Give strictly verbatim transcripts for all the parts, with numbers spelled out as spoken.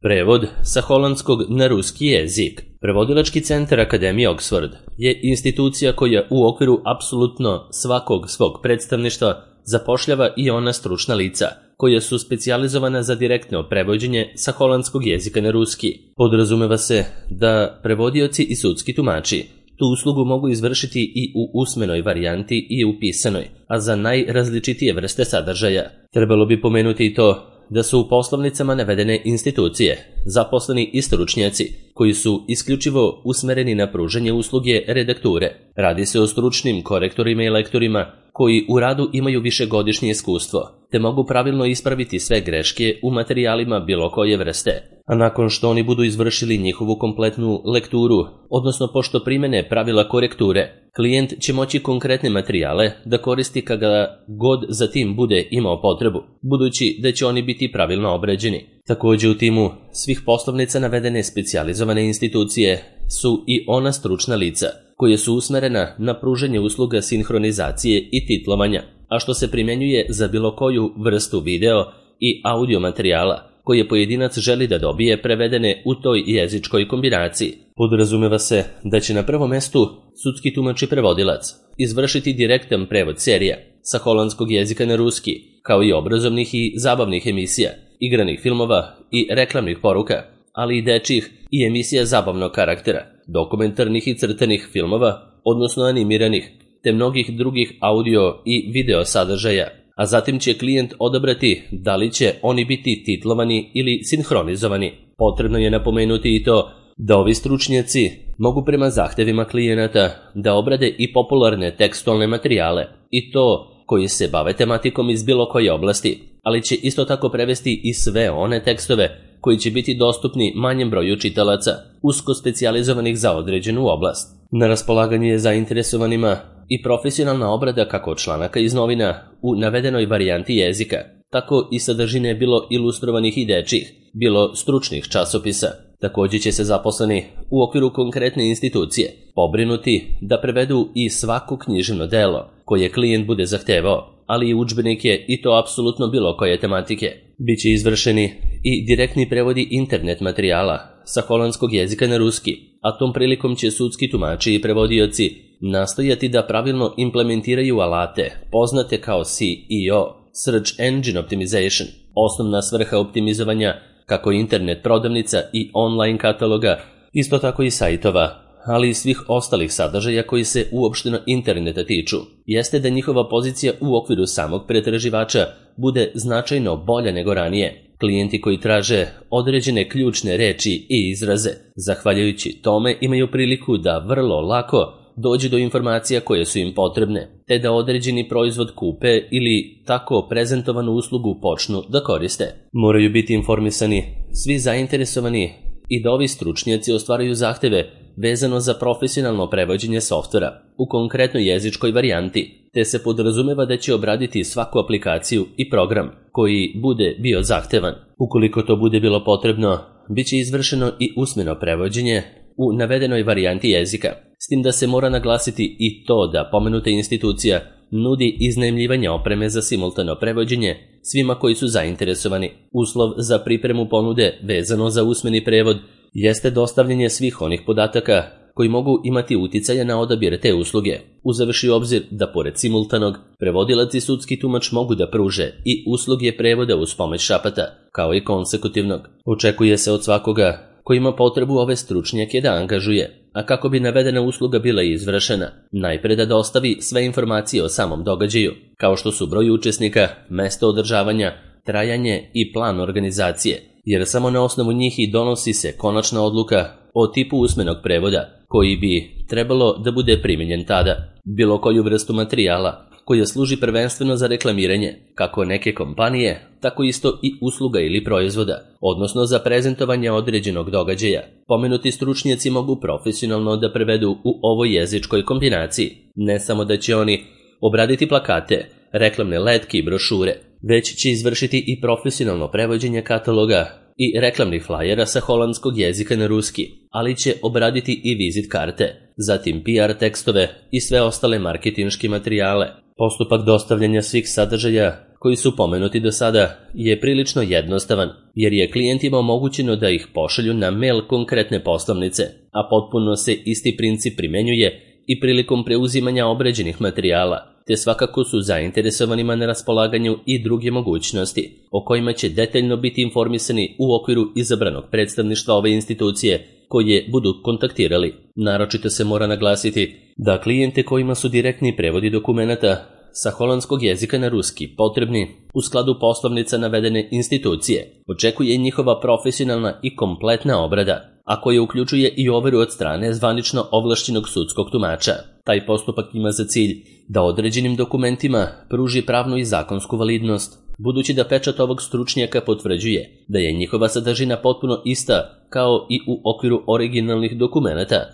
Prevod sa holandskog na ruski jezik. Prevodilački centar Akademije Oxford je institucija koja u okviru apsolutno svakog svog predstavništva zapošljava i ona stručna lica, koja su specijalizovana za direktno prevođenje sa holandskog jezika na ruski. Podrazumeva se da prevodioci i sudski tumači tu uslugu mogu izvršiti i u usmenoj varijanti i u pisanoj, a za najrazličitije vrste sadržaja. Trebalo bi pomenuti i to da su u poslovnicama navedene institucije, zaposleni i stručnjaci, koji su isključivo usmereni na pružanje usluge redakture. Radi se o stručnim korektorima i lektorima koji u radu imaju višegodišnje iskustvo, te mogu pravilno ispraviti sve greške u materijalima bilo koje vrste. A nakon što oni budu izvršili njihovu kompletnu lekturu, odnosno pošto primene pravila korekture, klijent će moći konkretne materijale da koristi kada god za tim bude imao potrebu, budući da će oni biti pravilno obrađeni. Također u timu svih poslovnica navedene specijalizovane institucije su i ona stručna lica, koje su usmerena na pružanje usluga sinhronizacije i titlovanja, a što se primjenjuje za bilo koju vrstu video i audio materijala koje pojedinac želi da dobije prevedene u toj jezičkoj kombinaciji. Podrazumeva se da će na prvom mestu sudski tumač i prevodilac izvršiti direktan prevod serija sa holandskog jezika na ruski, kao i obrazovnih i zabavnih emisija, igranih filmova i reklamnih poruka, ali i dečjih i emisija zabavnog karaktera, dokumentarnih i crtanih filmova, odnosno animiranih, te mnogih drugih audio i video sadržaja, a zatim će klijent odabrati da li će oni biti titlovani ili sinhronizovani. Potrebno je napomenuti i to da ovi stručnjaci mogu prema zahtevima klijenata da obrade i popularne tekstualne materijale, i to koji se bave tematikom iz bilo koje oblasti, ali će isto tako prevesti i sve one tekstove koji će biti dostupni manjem broju čitalaca, usko specijalizovanih za određenu oblast. Na raspolaganju je zainteresovanima i profesionalna obrada kako članaka iz novina u navedenoj varijanti jezika, tako i sadržine bilo ilustrovanih i dečjih, bilo stručnih časopisa. Također će se zaposleni u okviru konkretne institucije pobrinuti da prevedu i svako književno delo koje klijent bude zahtevao, ali i udžbenike i to apsolutno bilo koje tematike. Biće izvršeni i direktni prevodi internet materijala sa holandskog jezika na ruski, a tom prilikom će sudski tumači i prevodioci nastojati da pravilno implementiraju alate poznate kao S E O, Search Engine Optimization, osnovna svrha optimizovanja kako internet prodavnica i online kataloga, isto tako i sajtova, ali i svih ostalih sadržaja koji se uopšteno interneta tiču, jeste da njihova pozicija u okviru samog pretraživača bude značajno bolja nego ranije. Klijenti koji traže određene ključne reči i izraze, zahvaljujući tome imaju priliku da vrlo lako dođu do informacija koje su im potrebne, te da određeni proizvod kupe ili tako prezentovanu uslugu počnu da koriste. Moraju biti informisani svi zainteresovani i da ovi stručnjaci ostvaraju zahteve vezano za profesionalno prevođenje softvera u konkretnoj jezičkoj varijanti, te se podrazumeva da će obraditi svaku aplikaciju i program koji bude bio zahtevan. Ukoliko to bude bilo potrebno, bit će izvršeno i usmeno prevođenje u navedenoj varijanti jezika, s tim da se mora naglasiti i to da pomenuta institucija nudi iznajmljivanje opreme za simultano prevođenje svima koji su zainteresovani. Uslov za pripremu ponude vezano za usmeni prevod jeste dostavljanje svih onih podataka koji mogu imati uticaja na odabir te usluge, uzevši u obzir da pored simultanog, prevodilac i sudski tumač mogu da pruže i usluge prevoda uz pomoć šapata, kao i konsekutivnog. Očekuje se od svakoga koji ima potrebu ove stručnjake da angažuje, a kako bi navedena usluga bila izvršena, najpre da dostavi sve informacije o samom događaju, kao što su broj učesnika, mesto održavanja, trajanje i plan organizacije, jer samo na osnovu njih i donosi se konačna odluka o tipu usmenog prevoda, koji bi trebalo da bude primijenjen tada. Bilo koju vrstu materijala koja služi prvenstveno za reklamiranje, kako neke kompanije, tako isto i usluga ili proizvoda, odnosno za prezentovanje određenog događaja. Pomenuti stručnjaci mogu profesionalno da prevedu u ovoj jezičkoj kombinaciji. Ne samo da će oni obraditi plakate, reklamne letke i brošure, već će izvršiti i profesionalno prevođenje kataloga i reklamnih flajera sa holandskog jezika na ruski, ali će obraditi i vizit karte, zatim P R tekstove i sve ostale marketinške materijale. Postupak dostavljanja svih sadržaja koji su pomenuti do sada je prilično jednostavan, jer je klijentima omogućeno da ih pošalju na mail konkretne poslovnice, a potpuno se isti princip primenjuje i prilikom preuzimanja obrađenih materijala, te svakako su zainteresovanima na raspolaganju i druge mogućnosti, o kojima će detaljno biti informisani u okviru izabranog predstavništva ove institucije koje budu kontaktirali. Naročito se mora naglasiti da klijente kojima su direktni prevodi dokumenata sa holandskog jezika na ruski potrebni u skladu poslovnica navedene institucije očekuje njihova profesionalna i kompletna obrada, a koja uključuje i overu od strane zvanično ovlašćenog sudskog tumača. Taj postupak ima za cilj da određenim dokumentima pruži pravnu i zakonsku validnost, budući da pečat ovog stručnjaka potvrđuje da je njihova sadržina potpuno ista kao i u okviru originalnih dokumenata.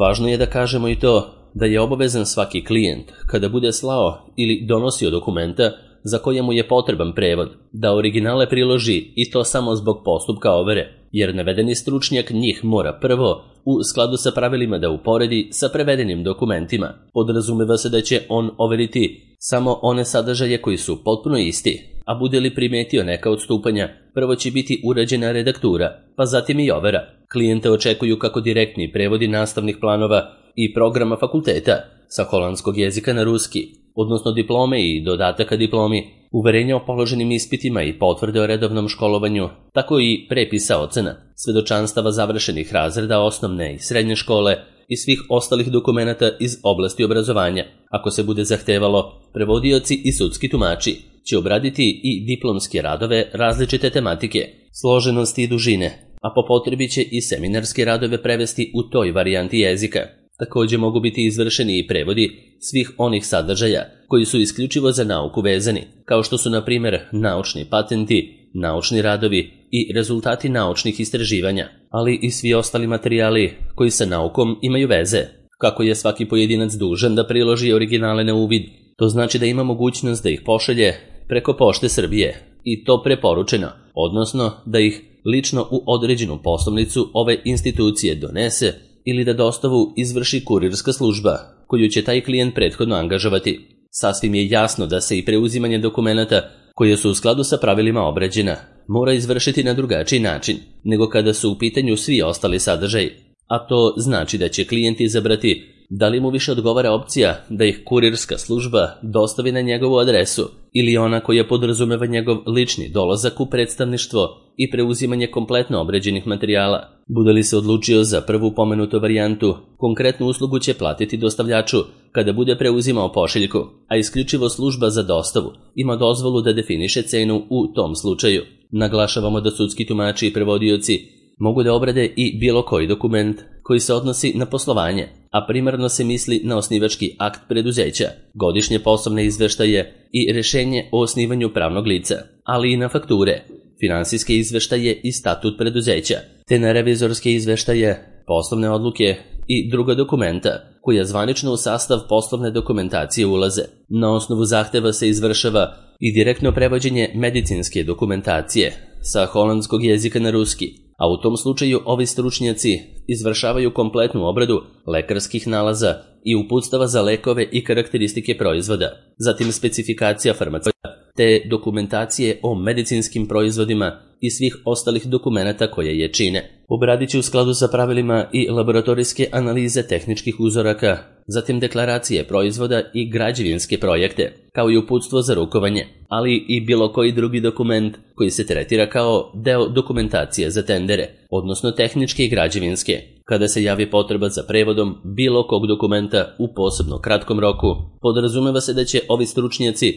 Važno je da kažemo i to da je obavezan svaki klijent, kada bude slao ili donosio dokumenta za koje mu je potreban prevod, da originale priloži i to samo zbog postupka overe, jer navedeni stručnjak njih mora prvo, u skladu sa pravilima, da uporedi sa prevedenim dokumentima. Podrazumeva se da će on overiti samo one sadržaje koji su potpuno isti, a bude li primetio neka odstupanja, prvo će biti urađena redaktura, pa zatim i overa. Klijente očekuju kako direktni prevodi nastavnih planova i programa fakulteta sa holandskog jezika na ruski, odnosno diplome i dodataka diplomi, uverenja o položenim ispitima i potvrde o redovnom školovanju, tako i prepisa ocena, svedočanstava završenih razreda osnovne i srednje škole i svih ostalih dokumenata iz oblasti obrazovanja. Ako se bude zahtevalo, prevodioci i sudski tumači će obraditi i diplomske radove različite tematike, složenosti i dužine, a po potrebi će i seminarske radove prevesti u toj varijanti jezika. Također mogu biti izvršeni i prevodi svih onih sadržaja koji su isključivo za nauku vezani, kao što su na primjer naučni patenti, naučni radovi i rezultati naučnih istraživanja, ali i svi ostali materijali koji sa naukom imaju veze. Kako je svaki pojedinac dužan da priloži originale na uvid, to znači da ima mogućnost da ih pošalje preko Pošte Srbije, i to preporučeno, odnosno da ih lično u određenu poslovnicu ove institucije donese ili da dostavu izvrši kurirska služba, koju će taj klijent prethodno angažovati. Sasvim je jasno da se i preuzimanje dokumenata, koje su u skladu sa pravilima obrađena, mora izvršiti na drugačiji način nego kada su u pitanju svi ostali sadržaji, a to znači da će klijent izabrati da li mu više odgovara opcija da ih kurirska služba dostavi na njegovu adresu ili ona koja podrazumeva njegov lični dolazak u predstavništvo i preuzimanje kompletno obrađenih materijala. Bude li se odlučio za prvu pomenutu varijantu, konkretnu uslugu će platiti dostavljaču kada bude preuzimao pošiljku, a isključivo služba za dostavu ima dozvolu da definiše cenu u tom slučaju. Naglašavamo da sudski tumači i prevodioci mogu da obrade i bilo koji dokument koji se odnosi na poslovanje, a primarno se misli na osnivački akt preduzeća, godišnje poslovne izveštaje i rešenje o osnivanju pravnog lica, ali i na fakture, finansijske izveštaje i statut preduzeća, te na revizorske izveštaje, poslovne odluke i druga dokumenta koja zvanično u sastav poslovne dokumentacije ulaze. Na osnovu zahteva se izvršava i direktno prevođenje medicinske dokumentacije sa holandskog jezika na ruski, a u tom slučaju ovi stručnjaci izvršavaju kompletnu obradu lekarskih nalaza i uputstava za lekove i karakteristike proizvoda, zatim specifikacija farmaceuta, te dokumentacije o medicinskim proizvodima i svih ostalih dokumenata koje je čine. Obradit će u skladu sa pravilima i laboratorijske analize tehničkih uzoraka, zatim deklaracije proizvoda i građevinske projekte, kao i uputstvo za rukovanje, ali i bilo koji drugi dokument koji se tretira kao deo dokumentacije za tendere, odnosno tehničke i građevinske. Kada se javi potreba za prevodom bilo kog dokumenta u posebno kratkom roku, podrazumeva se da će ovi stručnjaci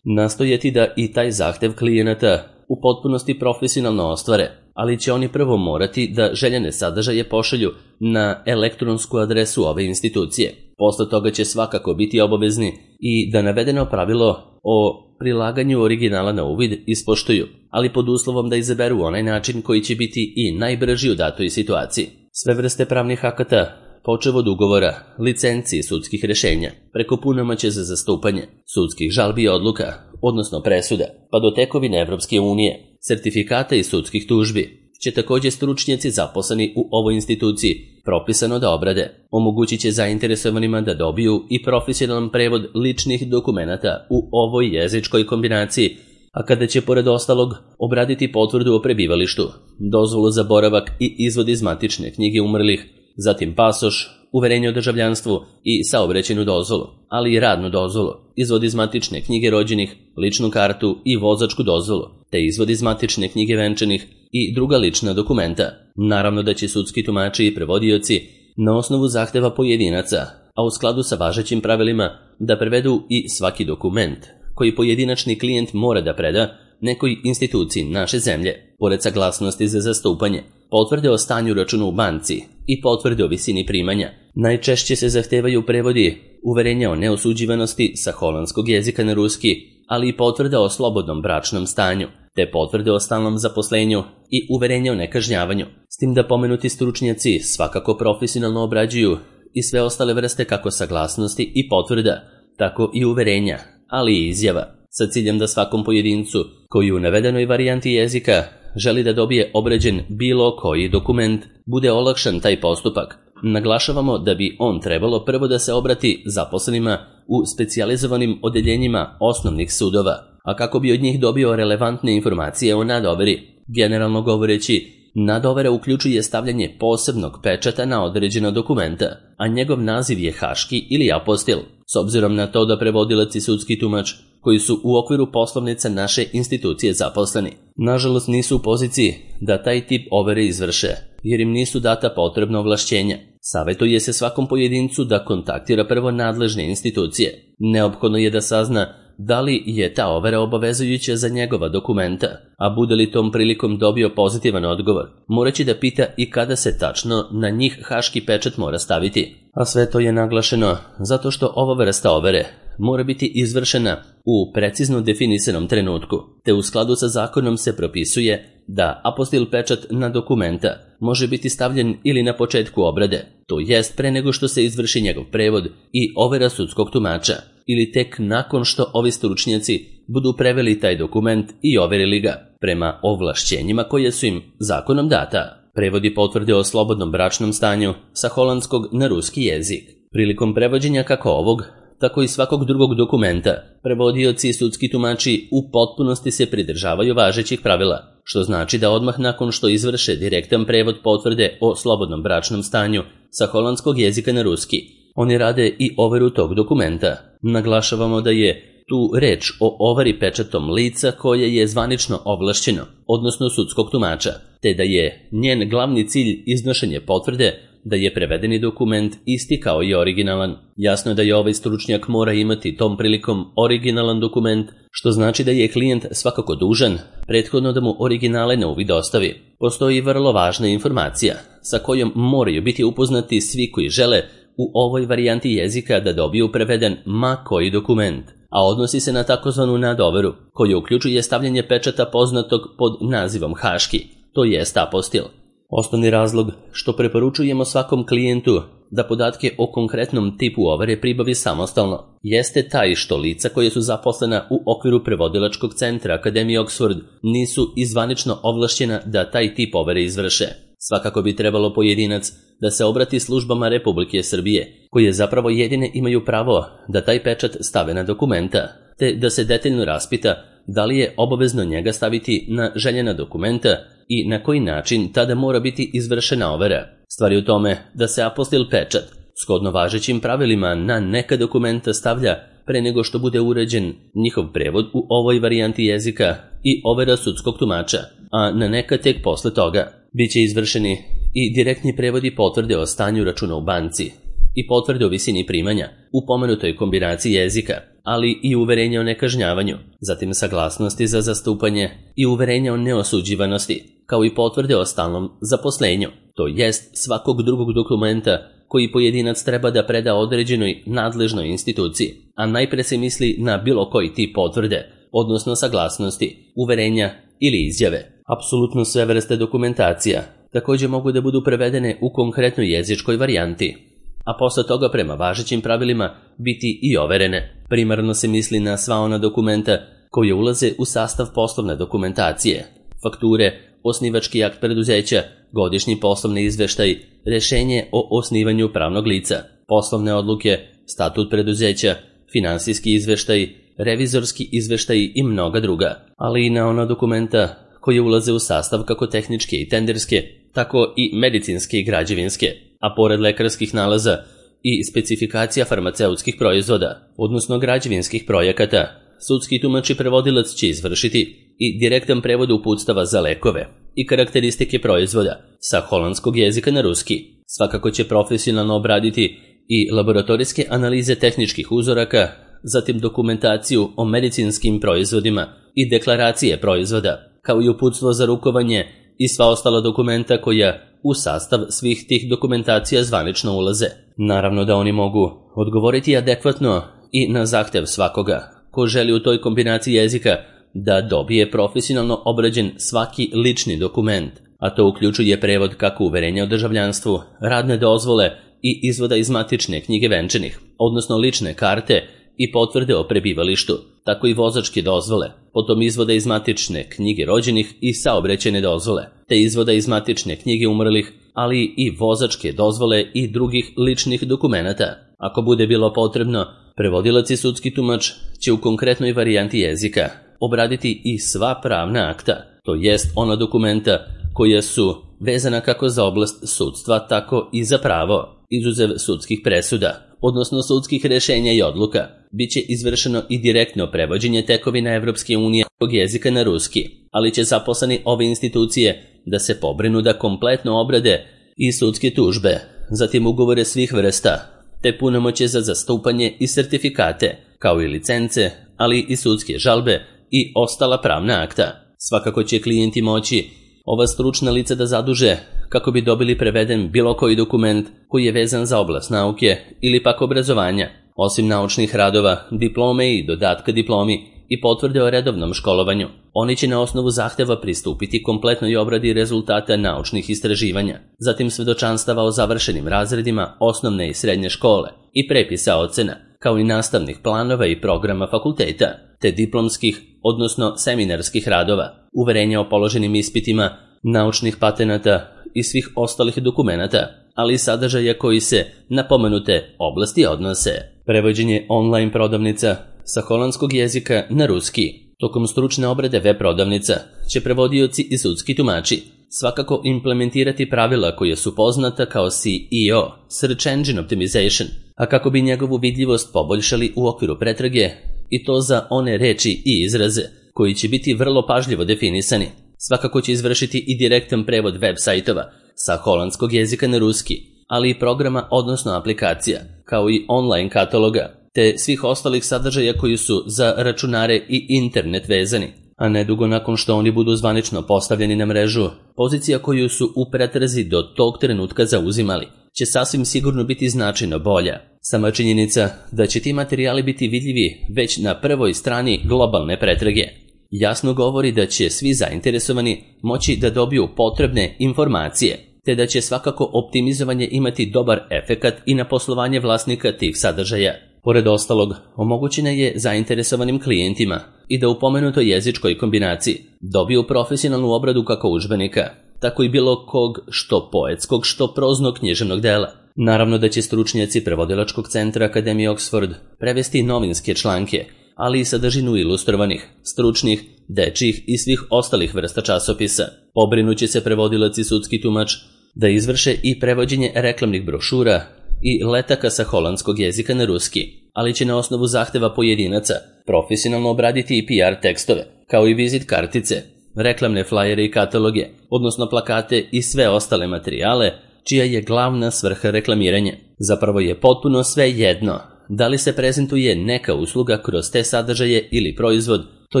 nastojati da i taj zahtev klijenata u potpunosti profesionalno ostvare, ali će oni prvo morati da željene sadržaje pošalju na elektronsku adresu ove institucije. Posle toga će svakako biti obavezni i da navedeno pravilo o prilaganju originala na uvid ispoštuju, ali pod uslovom da izaberu onaj način koji će biti i najbrži u datoj situaciji. Sve vrste pravnih akata, počev od ugovora, licenci i sudskih rešenja, preko punomoći za zastupanje, sudskih žalbi i odluka, odnosno presuda, pa do tekovine Evropske unije, sertifikata i sudskih tužbi, će također stručnjaci zaposleni u ovoj instituciji propisano da obrade. Omogućit će zainteresovanima da dobiju i profesionalan prevod ličnih dokumenata u ovoj jezičkoj kombinaciji, a kada će pored ostalog obraditi potvrdu o prebivalištu, dozvolu za boravak i izvod iz matične knjige umrlih, zatim pasoš, uverenje o državljanstvu i saobraćajnu dozvolu, ali i radnu dozvolu, izvod iz matične knjige rođenih, ličnu kartu i vozačku dozvolu, te izvod iz matične knjige venčanih i druga lična dokumenta. Naravno da će sudski tumači i prevodioci na osnovu zahteva pojedinaca, a u skladu sa važećim pravilima, da prevedu i svaki dokument koji pojedinačni klijent mora da preda nekoj instituciji naše zemlje, pored saglasnosti za zastupanje, potvrde o stanju računa u banci i potvrde o visini primanja. Najčešće se zahtevaju prevodi uverenja o neosuđivanosti sa holandskog jezika na ruski, ali i potvrda o slobodnom bračnom stanju, te potvrde o stalnom zaposlenju i uverenja o nekažnjavanju. S tim da pomenuti stručnjaci svakako profesionalno obrađuju i sve ostale vrste kako saglasnosti i potvrda, tako i uverenja, ali i izjava, sa ciljem da svakom pojedincu koji u navedenoj varijanti jezika želi da dobije obrađen bilo koji dokument, bude olakšan taj postupak. Naglašavamo da bi on trebalo prvo da se obrati zaposlenima u specijalizovanim odeljenjima osnovnih sudova, a kako bi od njih dobio relevantne informacije o nadoveri. Generalno govoreći, nadovera uključuje stavljanje posebnog pečata na određena dokumenta, a njegov naziv je haški ili apostil, s obzirom na to da prevodilac i sudski tumač koji su u okviru poslovnica naše institucije zaposleni, nažalost nisu u poziciji da taj tip overe izvrše, jer im nisu data potrebna ovlašćenja. Savetuje se svakom pojedincu da kontaktira prvo nadležne institucije. Neophodno je da sazna da li je ta overa obavezujuća za njegova dokumenta, a bude li tom prilikom dobio pozitivan odgovor, moraće da pita i kada se tačno na njih haški pečat mora staviti. A sve to je naglašeno zato što ova vrsta overe mora biti izvršena u precizno definisanom trenutku, te u skladu sa zakonom se propisuje da apostil pečat na dokumenta može biti stavljen ili na početku obrade, to jest pre nego što se izvrši njegov prevod i overa sudskog tumača, ili tek nakon što ovi stručnjaci budu preveli taj dokument i overili ga prema ovlašćenjima koje su im zakonom data. Prevodi potvrde o slobodnom bračnom stanju sa holandskog na ruski jezik. Prilikom prevođenja kako ovog, tako i svakog drugog dokumenta, prevodioci i sudski tumači u potpunosti se pridržavaju važećih pravila, što znači da odmah nakon što izvrše direktan prevod potvrde o slobodnom bračnom stanju sa holandskog jezika na ruski, oni rade i overu tog dokumenta. Naglašavamo da je tu reč o ovari pečatom lica koje je zvanično ovlašćeno, odnosno sudskog tumača, te da je njen glavni cilj iznošenje potvrde da je prevedeni dokument isti kao i originalan. Jasno je da je ovaj stručnjak mora imati tom prilikom originalan dokument, što znači da je klijent svakako dužan prethodno da mu originale na uvid dostavi. Postoji vrlo važna informacija sa kojom moraju biti upoznati svi koji žele u ovoj varijanti jezika da dobiju preveden ma koji dokument, a odnosi se na takozvanu nadoveru, koja uključuje stavljanje pečata poznatog pod nazivom haški, to jest apostil. Osnovni razlog što preporučujemo svakom klijentu da podatke o konkretnom tipu overe pribavi samostalno jeste taj što lica koje su zaposlena u okviru prevodilačkog centra Akademije Oxford nisu izvanično ovlašćena da taj tip overe izvrše. Svakako bi trebalo pojedinac da se obrati službama Republike Srbije, koje zapravo jedine imaju pravo da taj pečat stave na dokumenta, te da se detaljno raspita da li je obavezno njega staviti na željena dokumenta i na koji način tada mora biti izvršena overa. Stvar je u tome da se apostil pečat, shodno važećim pravilima, na neka dokumenta stavlja pre nego što bude uređen njihov prevod u ovoj varijanti jezika i overa sudskog tumača, a na neka tek posle toga. Biće izvršeni i direktni prevodi potvrde o stanju računa u banci i potvrde o visini primanja u pomenutoj kombinaciji jezika, ali i uverenja o nekažnjavanju, zatim saglasnosti za zastupanje i uverenja o neosuđivanosti, kao i potvrde o stalnom zaposlenju, to jest svakog drugog dokumenta koji pojedinac treba da preda određenoj nadležnoj instituciji, a najpre se misli na bilo koji tip potvrde, odnosno saglasnosti, uverenja ili izjave. Apsolutno sve vrste dokumentacija također mogu da budu prevedene u konkretnoj jezičkoj varijanti, a posle toga prema važećim pravilima biti i overene. Primarno se misli na sva ona dokumenta koje ulaze u sastav poslovne dokumentacije, fakture, osnivački akt preduzeća, godišnji poslovni izveštaj, rešenje o osnivanju pravnog lica, poslovne odluke, statut preduzeća, finansijski izveštaj, revizorski izveštaj i mnoga druga, ali i na ona dokumenta koje ulaze u sastav kako tehničke i tenderske, tako i medicinske i građevinske, a pored lekarskih nalaza i specifikacija farmaceutskih proizvoda, odnosno građevinskih projekata, sudski tumač i prevodilac će izvršiti i direktan prevod uputstava za lekove i karakteristike proizvoda sa holandskog jezika na ruski. Svakako će profesionalno obraditi i laboratorijske analize tehničkih uzoraka, zatim dokumentaciju o medicinskim proizvodima i deklaracije proizvoda, kao i uputstvo za rukovanje i sva ostala dokumenta koja u sastav svih tih dokumentacija zvanično ulaze. Naravno da oni mogu odgovoriti adekvatno i na zahtev svakoga ko želi u toj kombinaciji jezika da dobije profesionalno obrađen svaki lični dokument, a to uključuje prevod kako uverenja o državljanstvu, radne dozvole i izvoda iz matične knjige venčanih, odnosno lične karte i potvrde o prebivalištu, tako i vozačke dozvole, potom izvoda iz matične knjige rođenih i saobraćajne dozvole, te izvoda iz matične knjige umrlih, ali i vozačke dozvole i drugih ličnih dokumenata. Ako bude bilo potrebno, prevodilac i sudski tumač će u konkretnoj varijanti jezika obraditi i sva pravna akta, to jest ona dokumenta koja su vezana kako za oblast sudstva, tako i za pravo, izuzev sudskih presuda, odnosno sudskih rešenja i odluka. Biće izvršeno i direktno prevođenje tekovina Evropske unije jezika na ruski, ali će zaposleni ove institucije da se pobrinu da kompletno obrade i sudske tužbe, zatim ugovore svih vrsta, te punomoćje za zastupanje i sertifikate, kao i licence, ali i sudske žalbe i ostala pravna akta. Svakako će klijenti moći ova stručna lica da zaduže kako bi dobili preveden bilo koji dokument koji je vezan za oblast nauke ili pak obrazovanja, osim naučnih radova, diplome i dodatka diplomi i potvrde o redovnom školovanju. Oni će na osnovu zahteva pristupiti kompletnoj obradi rezultata naučnih istraživanja, zatim svedočanstava o završenim razredima osnovne i srednje škole i prepisa ocena, kao i nastavnih planova i programa fakulteta, te diplomskih, odnosno seminarskih radova, uverenja o položenim ispitima, naučnih patenata i svih ostalih dokumenata, ali i sadržaja koji se na pomenute oblasti odnose. Prevođenje online prodavnica sa holandskog jezika na ruski. Tokom stručne obrade web prodavnica će prevodioci i sudski tumači svakako implementirati pravila koje su poznata kao S E O, Search Engine Optimization, a kako bi njegovu vidljivost poboljšali u okviru pretrage, i to za one reči i izraze koji će biti vrlo pažljivo definisani. Svakako će izvršiti i direktan prevod web sajtova sa holandskog jezika na ruski, ali i programa odnosno aplikacija, kao i online kataloga, te svih ostalih sadržaja koji su za računare i internet vezani, a nedugo nakon što oni budu zvanično postavljeni na mrežu, pozicija koju su u pretrazi do tog trenutka zauzimali će sasvim sigurno biti značajno bolja. Sama činjenica da će ti materijali biti vidljivi već na prvoj strani globalne pretrage jasno govori da će svi zainteresovani moći da dobiju potrebne informacije, te da će svakako optimizovanje imati dobar efekat i na poslovanje vlasnika tih sadržaja. Pored ostalog, omogućena je zainteresovanim klijentima i da u pomenutoj jezičkoj kombinaciji dobiju profesionalnu obradu kako udžbenika, tako i bilo kog što poetskog, što proznog književnog dela. Naravno da će stručnjaci prevodilačkog centra Akademije Oxford prevesti novinske članke, ali i sadržinu ilustrovanih, stručnih, dečjih i svih ostalih vrsta časopisa. Pobrinuće se prevodilac i sudski tumač da izvrše i prevođenje reklamnih brošura i letaka sa holandskog jezika na ruski, ali će na osnovu zahteva pojedinaca profesionalno obraditi i P R tekstove, kao i vizit kartice, reklamne flajere i kataloge, odnosno plakate i sve ostale materijale, čija je glavna svrha reklamiranja. Zapravo je potpuno sve jedno da li se prezentuje neka usluga kroz te sadržaje ili proizvod, to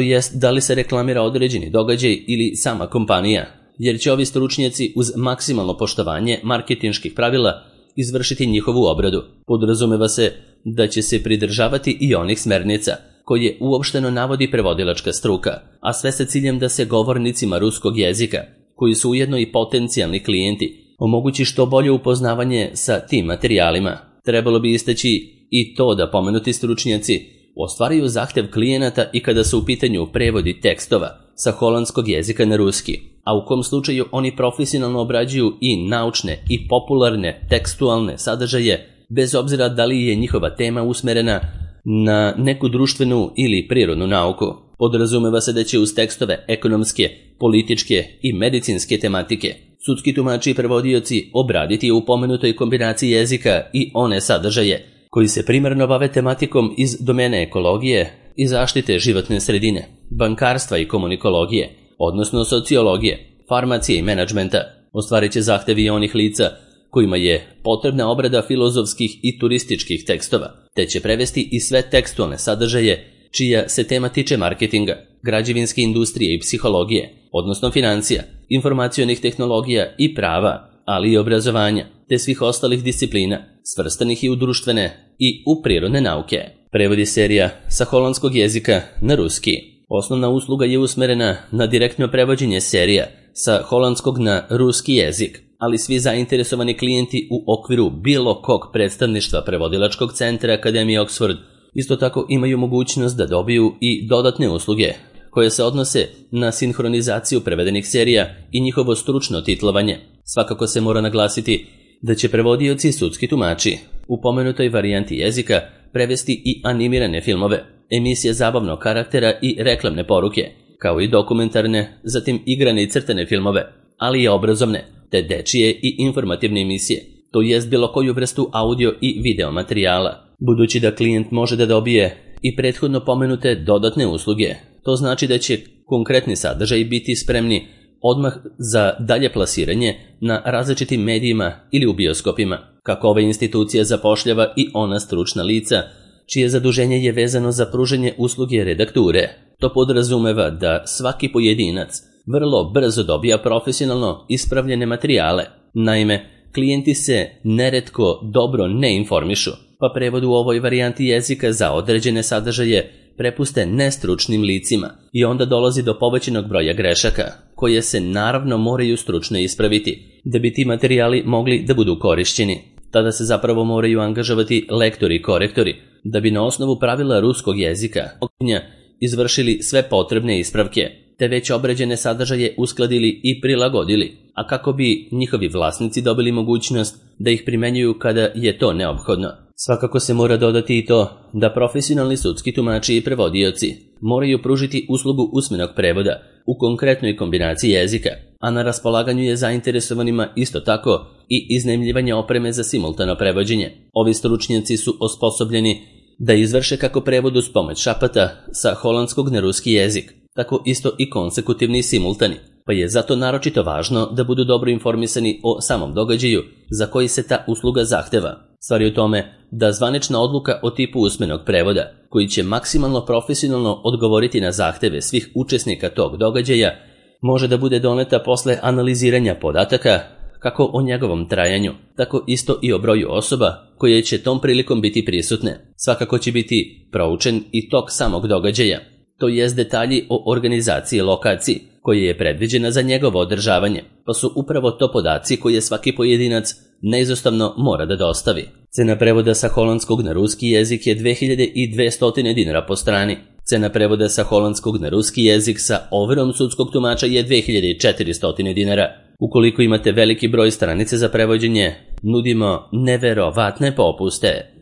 jest da li se reklamira određeni događaj ili sama kompanija, jer će ovi stručnjaci uz maksimalno poštovanje marketinških pravila izvršiti njihovu obradu. Podrazumeva se da će se pridržavati i onih smernica koje uopšteno navodi prevodilačka struka, a sve sa ciljem da se govornicima ruskog jezika, koji su ujedno i potencijalni klijenti, omogući što bolje upoznavanje sa tim materijalima. Trebalo bi istaći i to da pomenuti stručnjaci ostvaruju zahtev klijenata i kada su u pitanju prevodi tekstova sa holandskog jezika na ruski, a u kom slučaju oni profesionalno obrađuju i naučne i popularne tekstualne sadržaje, bez obzira da li je njihova tema usmerena na neku društvenu ili prirodnu nauku. Podrazumeva se da će uz tekstove ekonomske, političke i medicinske tematike sudski tumači i prevodioci obraditi u pomenutoj kombinaciji jezika i one sadržaje koji se primarno bave tematikom iz domene ekologije i zaštite životne sredine, bankarstva i komunikologije, odnosno sociologije, farmacije i menadžmenta. Ostvarit će zahtevi onih lica kojima je potrebna obrada filozofskih i turističkih tekstova, te će prevesti i sve tekstualne sadržaje čija se tema tiče marketinga, građevinske industrije i psihologije, odnosno financija, informacionih tehnologija i prava, ali i obrazovanja, te svih ostalih disciplina, svrstanih i u društvene i u prirodne nauke. Prevodi serija sa holandskog jezika na ruski. Osnovna usluga je usmerena na direktno prevođenje serija sa holandskog na ruski jezik, ali svi zainteresovani klijenti u okviru bilo kog predstavništva prevodilačkog centra Akademije Oxford isto tako imaju mogućnost da dobiju i dodatne usluge koje se odnose na sinhronizaciju prevedenih serija i njihovo stručno titlovanje. Svakako se mora naglasiti da će prevodioci i sudski tumači u pomenutoj varijanti jezika prevesti i animirane filmove, emisije zabavnog karaktera i reklamne poruke, kao i dokumentarne, zatim igrane i crtane filmove, ali i obrazovne, te dečije i informativne emisije, to jest bilo koju vrstu audio i video materijala. Budući da klijent može da dobije i prethodno pomenute dodatne usluge, to znači da će konkretni sadržaj biti spremni odmah za dalje plasiranje na različitim medijima ili u bioskopima, kako ova institucija zapošljava i ona stručna lica, čije zaduženje je vezano za pružanje usluge redakture. To podrazumeva da svaki pojedinac vrlo brzo dobija profesionalno ispravljene materijale. Naime, klijenti se neretko dobro ne informišu, pa prevod u ovoj varijanti jezika za određene sadržaje prepuste nestručnim licima i onda dolazi do povećanog broja grešaka, koje se naravno moraju stručno ispraviti, da bi ti materijali mogli da budu korišćeni. Tada se zapravo moraju angažovati lektori i korektori, da bi na osnovu pravila ruskog jezika izvršili sve potrebne ispravke, te već obrađene sadržaje uskladili i prilagodili, a kako bi njihovi vlasnici dobili mogućnost da ih primenjuju kada je to neophodno. Svakako se mora dodati i to da profesionalni sudski tumači i prevodioci moraju pružiti uslugu usmenog prevoda u konkretnoj kombinaciji jezika, a na raspolaganju je zainteresovanima isto tako i iznajmljivanje opreme za simultano prevođenje. Ovi stručnjaci su osposobljeni da izvrše kako prevod uz pomoć šapata sa holandskog na ruski jezik, tako isto i konsekutivni i simultani, pa je zato naročito važno da budu dobro informisani o samom događaju za koji se ta usluga zahteva. Stvar je u tome da zvanična odluka o tipu usmenog prevoda, koji će maksimalno profesionalno odgovoriti na zahteve svih učesnika tog događaja, može da bude doneta posle analiziranja podataka, kako o njegovom trajanju, tako isto i o broju osoba koje će tom prilikom biti prisutne. Svakako će biti proučen i tok samog događaja, to jest detalji o organizaciji lokaciji, koja je predviđena za njegovo održavanje, pa su upravo to podaci koje svaki pojedinac neizostavno mora da dostavi. Cena prevoda sa holandskog na ruski jezik je dve hiljade dvesta dinara po strani. Cena prevoda sa holandskog na ruski jezik sa overom sudskog tumača je dve hiljade četiristo dinara. Ukoliko imate veliki broj stranice za prevođenje, nudimo neverovatne popuste.